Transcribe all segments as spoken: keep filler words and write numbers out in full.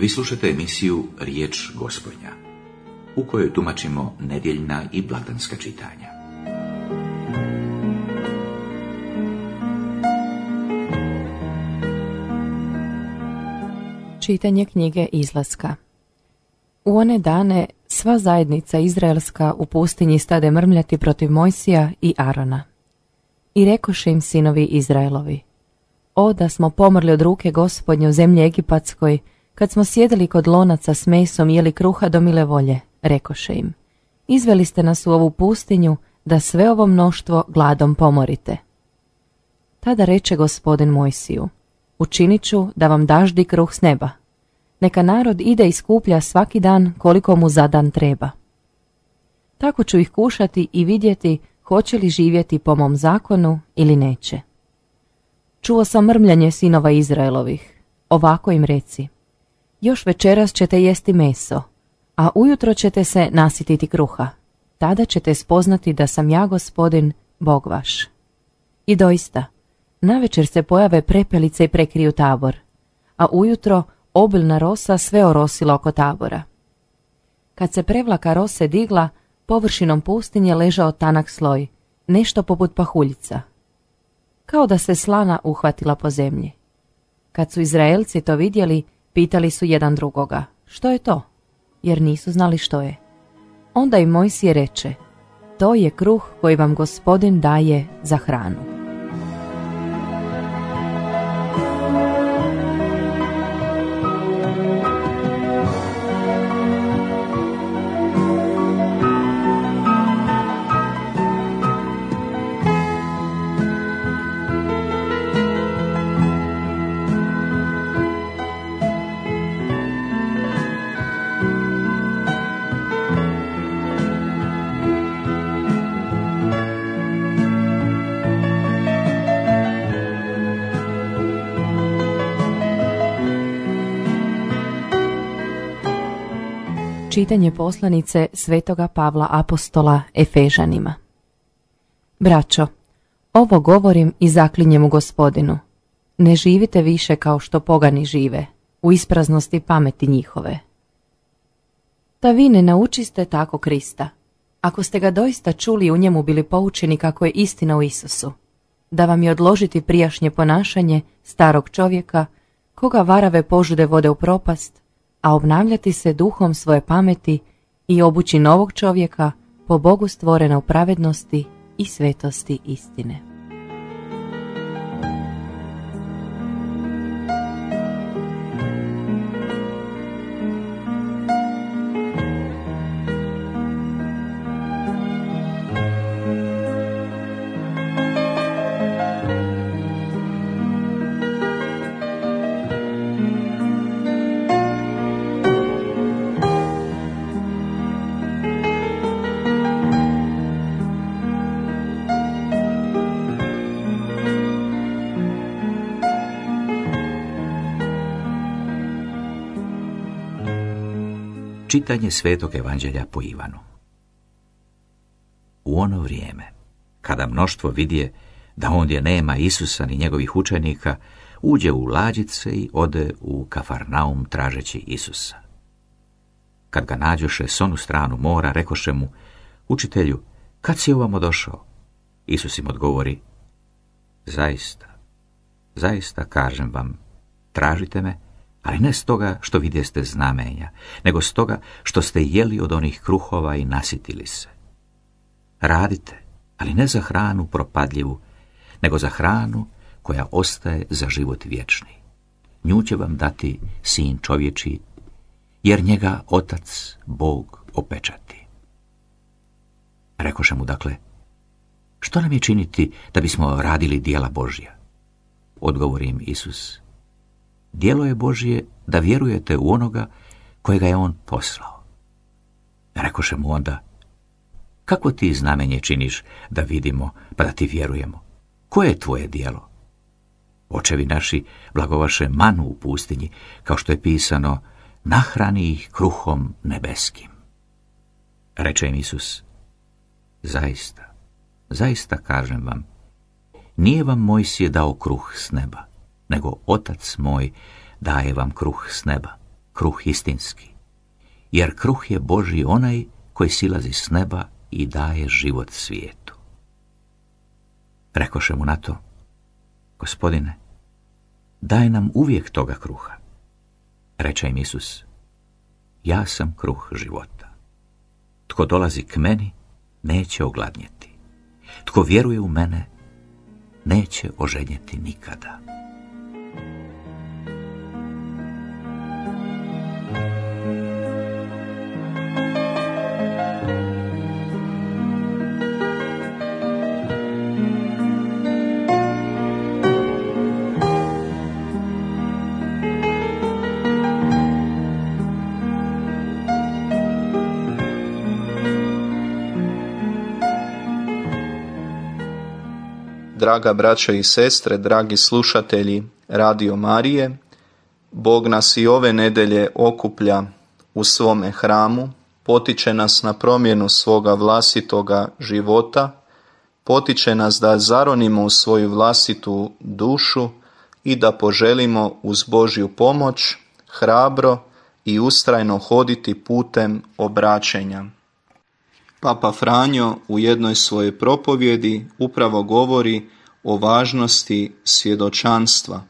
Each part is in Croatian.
Vi slušate emisiju Riječ Gospodnja, u kojoj tumačimo nedjeljna i blagdanska čitanja. Čitanje knjige Izlaska. U one dane sva zajednica izraelska u pustinji stade mrmljati protiv Mojsija i Arona. I rekoše im sinovi Izraelovi: O, da smo pomrli od ruke Gospodnje u zemlji Egipatskoj, kad smo sjedili kod lonaca s mesom i jeli kruha do mile volje, rekoše im: Izveli ste nas u ovu pustinju, da sve ovo mnoštvo gladom pomorite. Tada reče Gospodin Mojsiju: Učinit ću da vam daždi kruh s neba. Neka narod ide i skuplja svaki dan koliko mu za dan treba. Tako ću ih kušati i vidjeti hoće li živjeti po mom zakonu ili neće. Čuo sam mrmljanje sinova Izraelovih. Ovako im reci: Još večeras ćete jesti meso, a ujutro ćete se nasititi kruha. Tada ćete spoznati da sam ja Gospodin, Bog vaš. I doista, navečer se pojave prepelice i prekriju tabor, a ujutro obilna rosa sve orosila oko tabora. Kad se prevlaka rose digla, površinom pustinje ležao tanak sloj, nešto poput pahuljica, kao da se slana uhvatila po zemlji. Kad su Izraelci to vidjeli, pitali su jedan drugoga: Što je to? Jer nisu znali što je. Onda im Mojsije reče: To je kruh koji vam Gospodin daje za hranu. Čitanje poslanice Svetoga Pavla apostola Efežanima. Braćo, ovo govorim i zaklinjem u Gospodinu: ne živite više kao što pogani žive, u ispraznosti pameti njihove. Da vi ne naučiste tako Krista, ako ste ga doista čuli i u njemu bili poučeni kako je istina u Isusu, da vam je odložiti prijašnje ponašanje starog čovjeka, koga varave požude vode u propast, a obnavljati se duhom svoje pameti i obući novog čovjeka po Bogu stvorena u pravednosti i svetosti istine. Čitanje Svetog Evanđelja po Ivanu. U ono vrijeme, kada mnoštvo vidje da ondje nema Isusa ni njegovih učenika, uđe u lađice i ode u Kafarnaum tražeći Isusa. Kad ga nađoše s onu stranu mora, rekoše mu: Učitelju, kad si ovamo došao? Isus im odgovori: Zaista, zaista kažem vam, tražite me, ali ne stoga što vidjeste znamenja, nego stoga što ste jeli od onih kruhova i nasitili se. Radite, ali ne za hranu propadljivu, nego za hranu koja ostaje za život vječni. Nju će vam dati Sin čovječji, jer njega Otac, Bog, opečati. Rekoše mu dakle: Što nam je činiti da bismo radili djela Božja? Odgovori im Isus: Djelo je Božje da vjerujete u onoga kojega je on poslao. Rekoše mu onda: Kako ti znamenje činiš da vidimo pa da ti vjerujemo? Koje je tvoje djelo? Očevi naši blagovaše manu u pustinji, kao što je pisano: Nahrani ih kruhom nebeskim. Reče im Isus: Zaista, zaista kažem vam, nije vam Mojsije dao kruh s neba, nego Otac moj daje vam kruh s neba. kruh istinski, jer kruh je Božji onaj koji silazi s neba i daje život svijetu. Rekoše mu na to: Gospodine, daj nam uvijek toga kruha. Reče im Isus: Ja sam kruh života. Tko dolazi k meni, neće ogladnjeti. Tko vjeruje u mene, neće ožedjeti nikada. Draga braćo i sestre, dragi slušatelji Radio Marije, Bog nas i ove nedelje okuplja u svome hramu, potiče nas na promjenu svoga vlastitoga života, potiče nas da zaronimo u svoju vlastitu dušu i da poželimo uz Božju pomoć hrabro i ustrajno hoditi putem obraćenja. Papa Franjo u jednoj svojoj propovjedi upravo govori o važnosti svjedočanstva.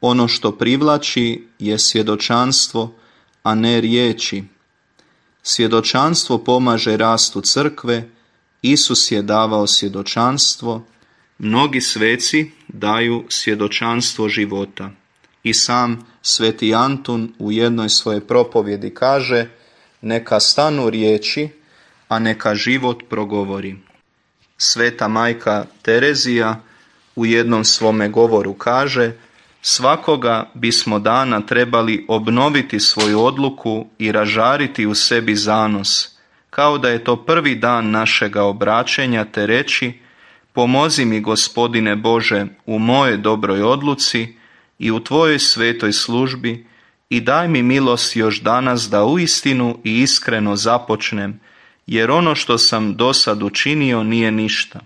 Ono što privlači je svjedočanstvo, a ne riječi. Svjedočanstvo pomaže rastu crkve, Isus je davao svjedočanstvo, mnogi sveci daju svjedočanstvo života. I sam sveti Antun u jednoj svojoj propovjedi kaže: neka stanu riječi, a neka život progovori. Sveta majka Terezija u jednom svome govoru kaže: svakoga bismo dana trebali obnoviti svoju odluku i ražariti u sebi zanos, kao da je to prvi dan našega obraćenja, te reći: pomozi mi, Gospodine Bože, u moje dobroj odluci i u Tvojoj svetoj službi i daj mi milost još danas da uistinu i iskreno započnem, jer ono što sam dosad učinio nije ništa.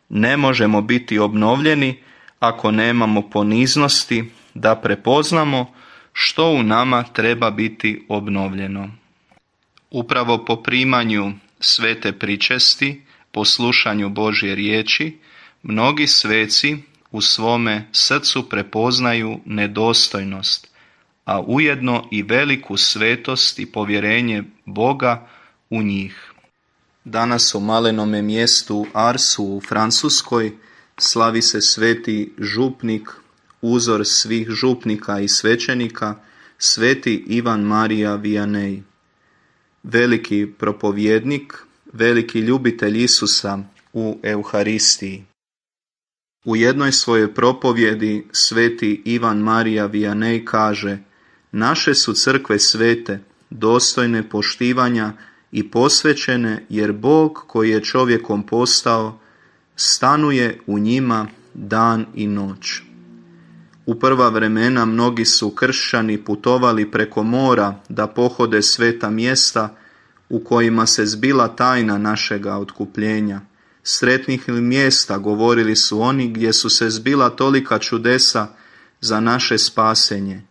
Ne možemo biti obnovljeni ako nemamo poniznosti da prepoznamo što u nama treba biti obnovljeno. Upravo po primanju svete pričesti, po slušanju Božje riječi, mnogi sveci u svome srcu prepoznaju nedostojnost, a ujedno i veliku svetost i povjerenje Boga u njih. Danas u malenome mjestu Arsu u Francuskoj slavi se sveti župnik, uzor svih župnika i svećenika, sveti Ivan Marija Vianney. Veliki propovjednik, veliki ljubitelj Isusa u Euharistiji. U jednoj svojoj propovjedi sveti Ivan Marija Vianney kaže: naše su crkve svete, dostojne poštivanja i posvećene, jer Bog koji je čovjekom postao stanuje u njima dan i noć. U prva vremena mnogi su kršćani putovali preko mora da pohode sveta mjesta u kojima se zbila tajna našega otkupljenja. Sretnih mjesta, govorili su oni, gdje su se zbila tolika čudesa za naše spasenje.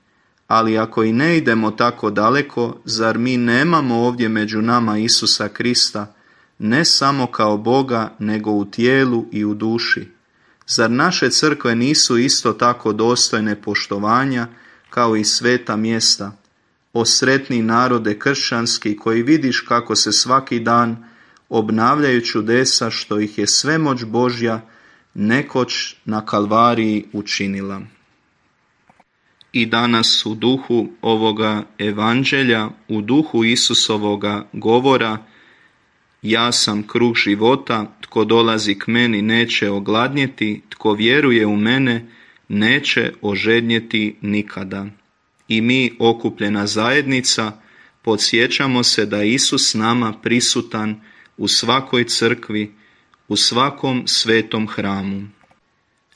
Ali ako i ne idemo tako daleko, zar mi nemamo ovdje među nama Isusa Krista, ne samo kao Boga, nego u tijelu i u duši? Zar naše crkve nisu isto tako dostojne poštovanja kao i sveta mjesta? O sretni narode kršćanski, koji vidiš kako se svaki dan obnavljaju čudesa što ih je svemoć Božja nekoć na Kalvariji učinila. I danas u duhu ovoga evanđelja, u duhu Isusovoga govora: ja sam kruh života, tko dolazi k meni neće ogladnjeti, tko vjeruje u mene neće ožednjeti nikada. I mi, okupljena zajednica, podsjećamo se da je Isus nama prisutan u svakoj crkvi, u svakom svetom hramu.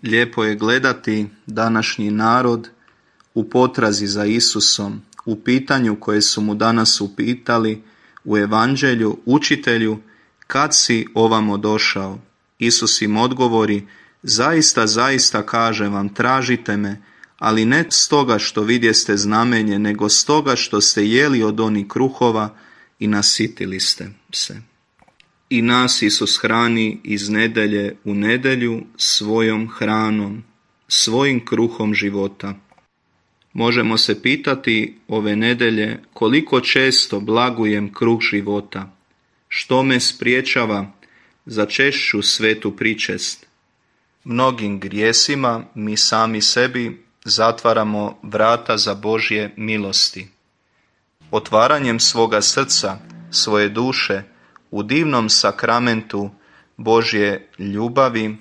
Lijepo je gledati današnji narod u potrazi za Isusom, u pitanju koje su mu danas upitali u evanđelju: učitelju, kad si ovamo došao? Isus im odgovori: zaista, zaista kažem vam, tražite me, ali ne stoga što vidjeste znamenje, nego stoga što ste jeli od onih kruhova i nasitili ste se. I nas Isus hrani iz nedelje u nedjelju svojom hranom, svojim kruhom života. Možemo se pitati ove nedelje koliko često blagujem kruh života, što me spriječava za češću svetu pričest. Mnogim grijesima mi sami sebi zatvaramo vrata za Božje milosti. Otvaranjem svoga srca, svoje duše, u divnom sakramentu Božje ljubavi,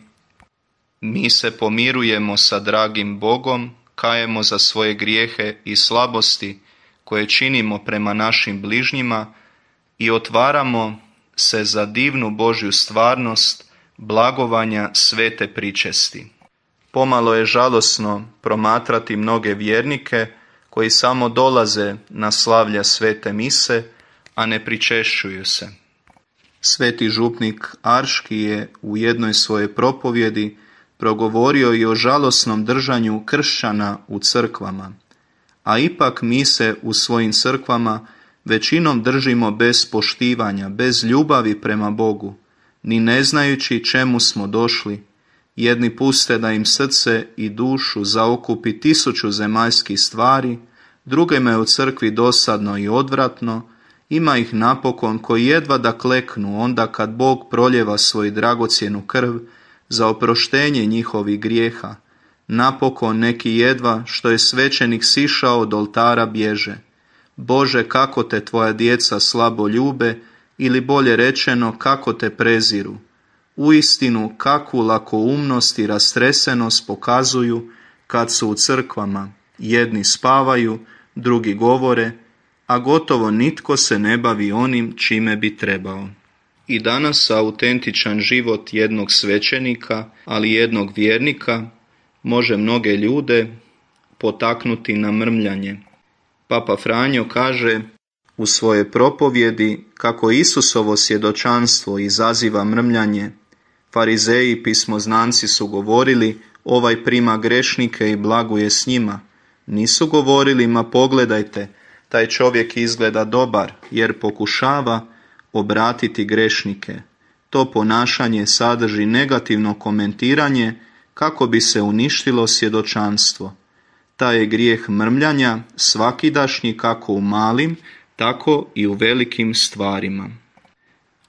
mi se pomirujemo sa dragim Bogom, kajemo za svoje grijehe i slabosti koje činimo prema našim bližnjima i otvaramo se za divnu Božju stvarnost blagovanja svete pričesti. Pomalo je žalosno promatrati mnoge vjernike koji samo dolaze na slavlja svete mise, a ne pričešćuju se. Sveti župnik Arški je u jednoj svojoj propovjedi progovorio i o žalosnom držanju kršćana u crkvama, a ipak mi se u svojim crkvama većinom držimo bez poštivanja, bez ljubavi prema Bogu, ni ne znajući čemu smo došli. Jedni puste da im srce i dušu zaokupi tisuću zemaljskih stvari, drugima je u crkvi dosadno i odvratno, ima ih napokon koji jedva da kleknu onda kad Bog proljeva svoju dragocjenu krv za oproštenje njihovih grijeha. Napokon neki jedva što je svećenik sišao od oltara bježe. Bože, kako te tvoja djeca slabo ljube, ili bolje rečeno, kako te preziru. Uistinu, kakvu lakoumnost i rastresenost pokazuju kad su u crkvama. Jedni spavaju, drugi govore, a gotovo nitko se ne bavi onim čime bi trebao. I danas autentičan život jednog svećenika, ali jednog vjernika, može mnoge ljude potaknuti na mrmljanje. Papa Franjo kaže u svojoj propovjedi kako Isusovo svjedočanstvo izaziva mrmljanje. Farizeji i pismoznanci su govorili, ovaj prima grešnike i blaguje s njima. Nisu govorili, ma pogledajte, taj čovjek izgleda dobar, jer pokušava obratiti grešnike. To ponašanje sadrži negativno komentiranje kako bi se uništilo svjedočanstvo. Taj je grijeh mrmljanja svakidašnji kako u malim, tako i u velikim stvarima.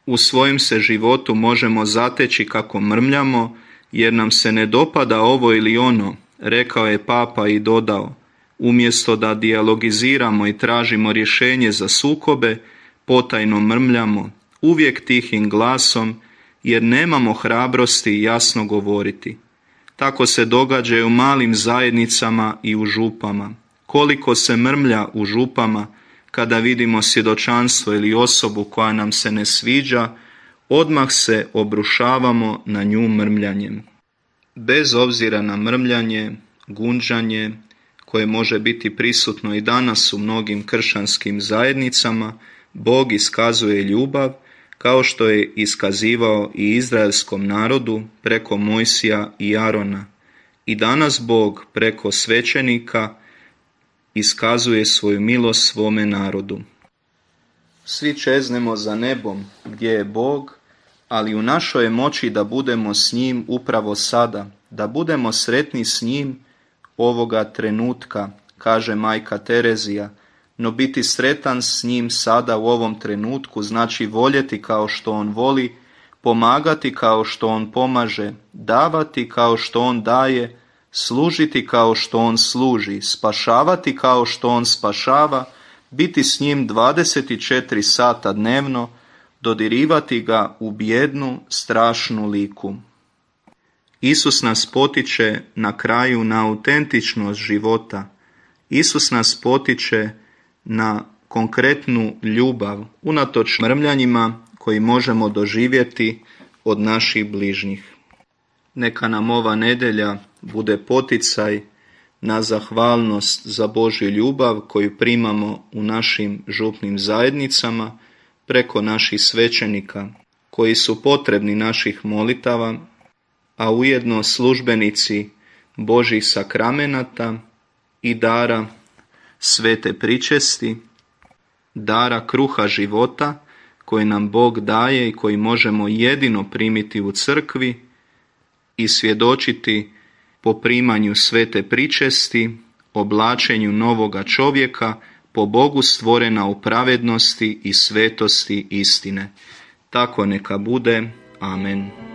U svojem se životu možemo zateći kako mrmljamo, jer nam se ne dopada ovo ili ono, rekao je Papa i dodao, umjesto da dijalogiziramo i tražimo rješenje za sukobe, potajno mrmljamo, uvijek tihim glasom, jer nemamo hrabrosti jasno govoriti. Tako se događa i u malim zajednicama i u župama. Koliko se mrmlja u župama, kada vidimo svjedočanstvo ili osobu koja nam se ne sviđa, odmah se obrušavamo na nju mrmljanjem. Bez obzira na mrmljanje, gunđanje, koje može biti prisutno i danas u mnogim kršćanskim zajednicama, Bog iskazuje ljubav kao što je iskazivao i izraelskom narodu preko Mojsija i Arona. I danas Bog preko svećenika iskazuje svoju milost svome narodu. Svi čeznemo za nebom gdje je Bog, ali u našoj je moći da budemo s njim upravo sada, da budemo sretni s njim ovoga trenutka, kaže majka Terezija, no biti sretan s njim sada u ovom trenutku znači voljeti kao što on voli, pomagati kao što on pomaže, davati kao što on daje, služiti kao što on služi, spašavati kao što on spašava, biti s njim dvadeset četiri sata dnevno, dodirivati ga u bijednu, strašnu liku. Isus nas potiče na kraju na autentičnost života. Isus nas potiče na konkretnu ljubav, unatoč mrmljanjima koji možemo doživjeti od naših bližnjih. Neka nam ova nedjelja bude poticaj na zahvalnost za Božju ljubav koju primamo u našim župnim zajednicama preko naših svećenika koji su potrebni naših molitava, a ujedno službenici Božjih sakramenata i dara svete pričesti, dara kruha života koji nam Bog daje i koji možemo jedino primiti u crkvi i svjedočiti po primanju svete pričesti, oblačenju novoga čovjeka, po Bogu stvorena u pravednosti i svetosti istine. Tako neka bude. Amen.